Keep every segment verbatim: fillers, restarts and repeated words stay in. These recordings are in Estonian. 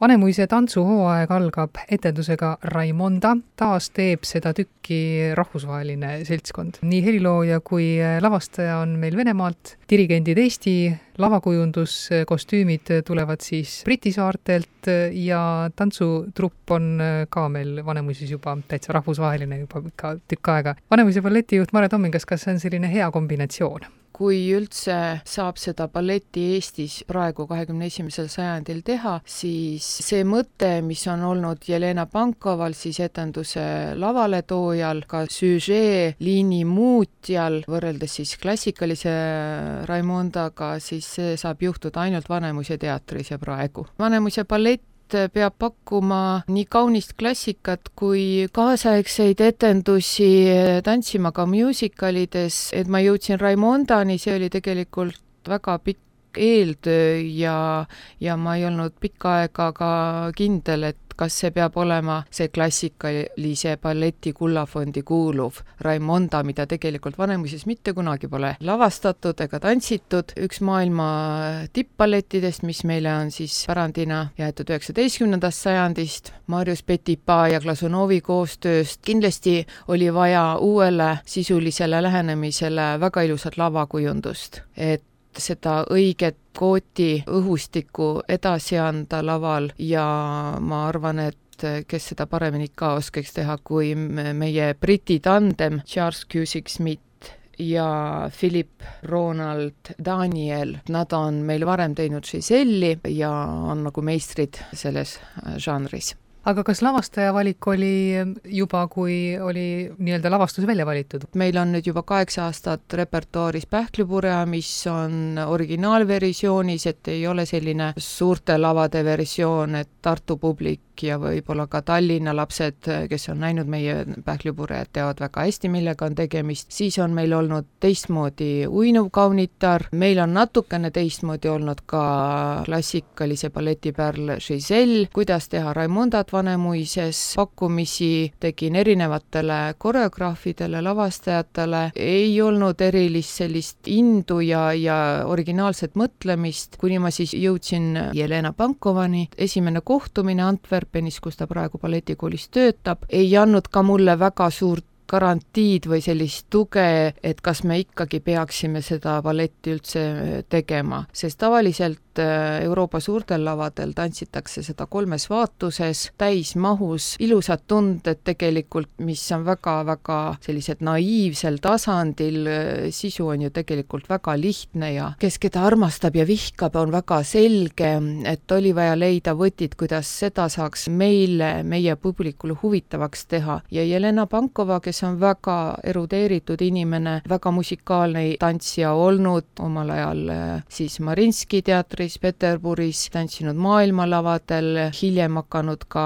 Vanemuise tantsuhooaeg algab etendusega Raimonda. Taas teeb seda tükki rahvusvaheline seltskond. Nii helilooja kui lavastaja on meil Venemaalt, dirigendid Eesti, lavakujunduskostüümid tulevad siis Briti saartelt ja tantsutrupp on ka meil Vanemuises juba täitsa rahvusvaheline juba ka tükk aega. Vanemuise balletijuht Mare Tommingas, kas see on selline hea kombinatsioon? Kui üldse saab seda balletti Eestis praegu kahekümne esimesel sajandil teha, siis see mõte, mis on olnud Jelena Pankoval, siis etenduse lavaletoojal, ka süžee liini muutjal, võrreldes siis klassikalise Raimondaga, siis see saab juhtuda ainult Vanemuise teatris ja praegu. Vanemuise ballett peab pakkuma nii kaunist klassikat kui kaasaegseid etendusi tantsima ka musicalides, et ma jõudsin Raimondani, see oli tegelikult väga pikk eeltöö ja, ja ma ei olnud pikka aega ka kindel, et kas see peab olema see klassikalise balleti kullafondi kuuluv Raimonda, mida tegelikult Vanemuises mitte kunagi pole lavastatud ega tantsitud. Üks maailma tippballettidest, mis meile on siis pärandina jäetud üheksateistkümnendast sajandist, Marius Petipa ja Glasunovi koostööst. Kindlasti oli vaja uuele sisulisele lähenemisele väga ilusat lavakujundust, et seda õiget kooti õhustikku edasi anda laval ja ma arvan, et kes seda paremini ka oskaks teha kui meie Briti tandem Charles Cusick-Smith ja Philip Ronald Daniel. Nad on meil varem teinud Giselle'i ja on nagu meistrid selles žanris. Aga kas lavastaja valik oli juba, kui oli nii-öelda lavastus välja valitud? Meil on nüüd juba kaheksa aastat repertuaaris Pähklipurja, mis on originaalversioonis, et ei ole selline suurte lavade versioon, et Tartu publik ja võib-olla ka Tallinna lapsed, kes on näinud meie Pähklipurjad, teavad väga hästi, millega on tegemist. Siis on meil olnud teistmoodi uinuv kaunitar, meil on natukene teistmoodi olnud ka klassikalise balletipärl Giselle, kuidas teha Raimondat Vanemuises, pakkumisi tegin erinevatele koreograafidele, lavastajatele, ei olnud erilist sellist indu ja, ja originaalset mõtlemist, kuni ma siis jõudsin Jelena Pankovani. Esimene kohtumine Antwerpenis, kus ta praegu balletikoolis töötab, ei andnud ka mulle väga suurt garantiid või sellist tuge, et kas me ikkagi peaksime seda balletti üldse tegema, sest tavaliselt Euroopa suurtel lavadel tantsitakse seda kolmes vaatuses, täismahus, ilusad tunded tegelikult, mis on väga-väga sellised naiivsel tasandil, sisu on ju tegelikult väga lihtne ja kes keda armastab ja vihkab, on väga selge, et oli vaja leida võtid, kuidas seda saaks meile, meie publikule huvitavaks teha. Ja Jelena Pankova, kes on väga erudeeritud inimene, väga musikaalne tantsija olnud, omal ajal siis Marinski teatris Peterburis, tantsinud maailmalavadel, hiljem hakanud ka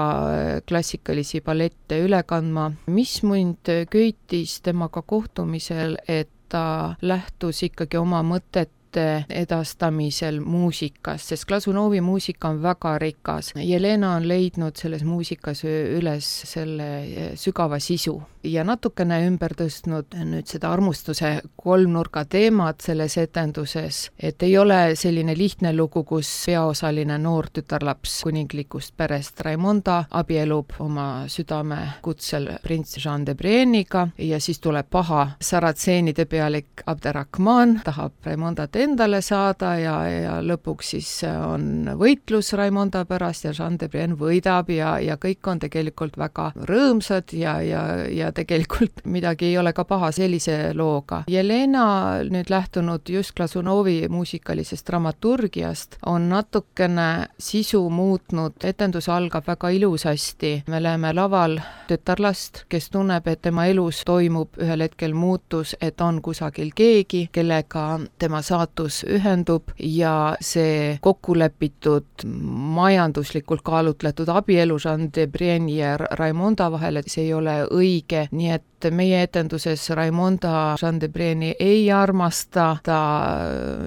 klassikalisi ballette üle kandma. Mis mind köitis temaga kohtumisel, et ta lähtus ikkagi oma mõtet edastamisel muusikas, sest Glasunovi muusika on väga rikas. Jelena on leidnud selles muusikas üles selle sügava sisu ja natukene ümber tõstnud nüüd seda armustuse kolmnurga teemat selles etenduses, et ei ole selline lihtne lugu, kus peaosaline noor tütarlaps kuninglikust perest Raimonda abielub oma südame kutsel prints Jean de Brienniga ja siis tuleb paha saratseenide pealik Abderrahman, tahab Raimondat endale saada ja, ja lõpuks siis on võitlus Raimonda pärast ja Jean de Brienne võidab ja, ja kõik on tegelikult väga rõõmsad ja, ja, ja tegelikult midagi ei ole ka paha sellise looga. Jelena nüüd lähtunud just Glasunovi muusikalisest dramaturgiast on natukene sisu muutnud, etendus algab väga ilusasti. Me läheme laval tütarlast, kes tunneb, et tema elus toimub ühel hetkel muutus, et on kusagil keegi, kellega tema saatus ühendub ja see kokkulepitud majanduslikult kaalutletud abielu Jean de Brienne ja Raimonda vahel, et see ei ole õige, nii et meie etenduses Raimonda Jean Debreni ei armasta, ta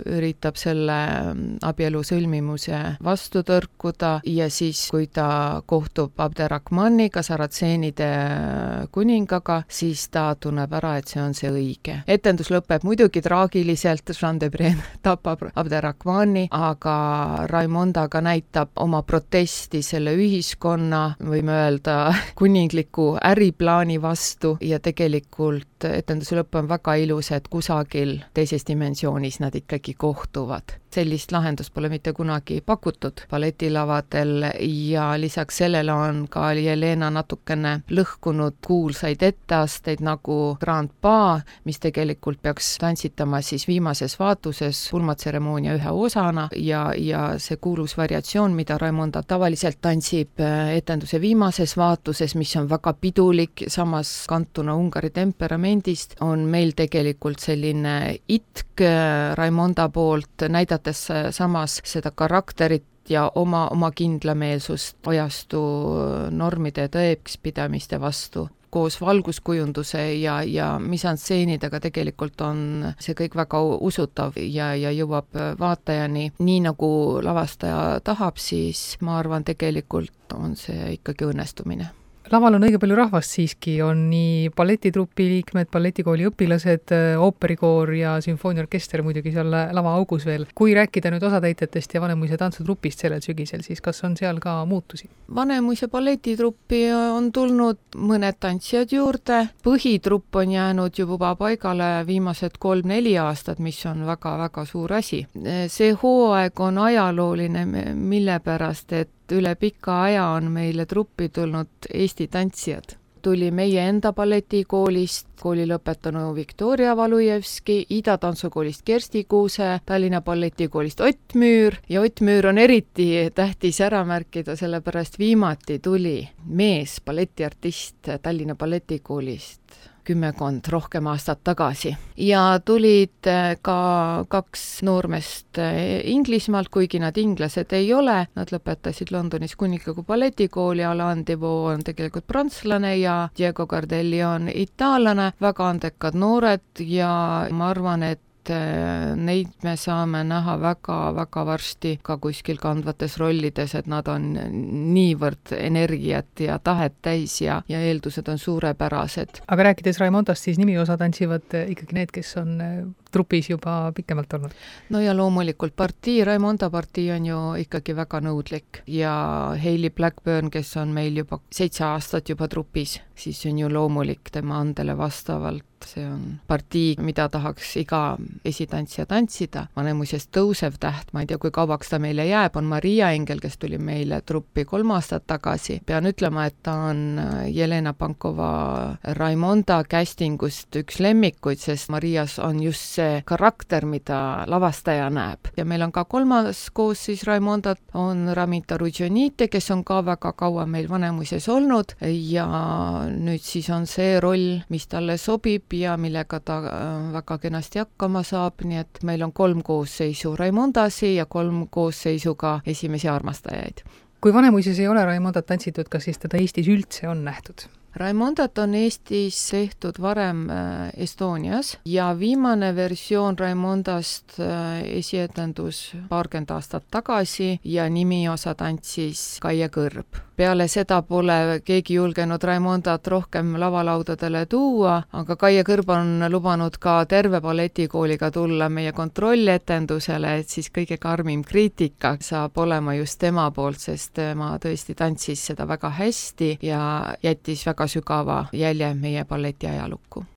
üritab selle abielu sõlmimuse vastu tõrkuda ja siis, kui ta kohtub Abderrahmaniga, saratseenide kuningaga, siis ta tunneb ära, et see on see õige. Etendus lõpeb muidugi traagiliselt, Jean Debren tapab Abderrahmani, aga Raimonda ka näitab oma protesti selle ühiskonna, võime öelda, kuningliku äriplaani vastu ja tegelikult etenduse lõpp on väga ilus, et kusagil teises dimensioonis nad ikkagi kohtuvad. Sellist lahendust pole mitte kunagi pakutud balletilavadel ja lisaks sellele on ka Jelena natukene lõhkunud kuulsaid etteasteid nagu Grand Pas, mis tegelikult peaks tantsitama siis viimases vaatuses pulmatseremoonia ühe osana ja, ja see kuulus variatsioon, mida Raimonda tavaliselt tantsib etenduse viimases vaatuses, mis on väga pidulik, samas kantuna Ungari temperamendist, on meil tegelikult selline itk Raimonda poolt, näidates samas seda karakterit ja oma, oma kindlameelsust ajastu normide ja tõekspidamiste vastu. Koos valguskujunduse ja, ja misanstseenidega tegelikult on see kõik väga usutav ja, ja jõuab vaatajani. Nii nagu lavastaja tahab, siis ma arvan, tegelikult on see ikkagi õnnestumine. Laval on õige palju rahvast siiski, on nii balletitrupi liikmed, balletikooli õpilased, ooperikoor ja sümfooniaorkester muidugi seal lava augus veel. Kui rääkida nüüd osatäitjatest ja Vanemuise tantsutrupist sellel sügisel, siis kas on seal ka muutusi? Vanemuise balletitruppi on tulnud mõned tantsijad juurde, põhitrupp on jäänud juba paigale viimased kolm-neli aastat, mis on väga-väga suur asi. See hooaeg on ajalooline, mille pärast, et üle pika aja on meile truppi tulnud Eesti tantsijad. Tuli meie enda balletikoolist, kooli lõpetanu Viktoria Valujevski, Ida tantsukoolist Kersti Kuuse, Tallinna balletikoolist Ott Müür ja Ott Müür on eriti tähtis ära märkida, sellepärast viimati tuli mees balletiartist Tallinna balletikoolist kümmekond rohkem aastat tagasi. Ja tulid ka kaks noormest Inglismaalt, kuigi nad inglased ei ole. Nad lõpetasid Londonis kuningliku balletikooli, Alain Devaux on tegelikult prantslane ja Diego Gardelli on itaallane. Väga andekad noored ja ma arvan, et neid me saame näha väga-väga varsti ka kuskil kandvates rollides, et nad on niivõrd energiat ja tahet täis ja, ja eeldused on suurepärased. Aga rääkides Raimondast, siis nimiosa tantsivad ikkagi need, kes on trupis juba pikemalt olnud? No ja loomulikult partii, Raimonda partii on ju ikkagi väga nõudlik ja Hayley Blackburn, kes on meil juba seitse aastat juba trupis, siis on ju loomulik tema andele vastavalt. See on partii, mida tahaks iga esitantsija tantsida. Vanemuisest tõusev täht, ma ei tea, kui kauaks ta meile jääb, on Maria Engel, kes tuli meile truppi kolm aastat tagasi. Pean ütlema, et ta on Jelena Pankova Raimonda castingust üks lemmikuid, sest Marias on just see karakter, mida lavastaja näeb. Ja meil on ka kolmas koos siis Raimondat, on Ramita Rudžonite, kes on ka väga kaua meil Vanemuises olnud ja nüüd siis on see roll, mis talle sobib ja millega ta väga kenasti hakkama saab, nii et meil on kolm koosseisu Raimondasi ja kolm koosseisu ka esimesi armastajaid. Kui Vanemuises ei ole Raimondat tantsitud, kas siis teda Eestis üldse on nähtud? Raimondat on Eestis tehtud varem Estonias ja viimane versioon Raimondast esietendus paarkümmend aastat tagasi ja nimiosa tantsis Kaie Kõrb. Peale seda pole keegi julgenud Raimondat rohkem lavalaudadele tuua, aga Kaie Kõrb on lubanud ka terve balletikooliga tulla meie kontrolletendusele, et siis kõige karmim kriitika saab olema just tema poolt, sest tema tõesti tantsis seda väga hästi ja jättis väga sügava jälje meie balleti ajalukku.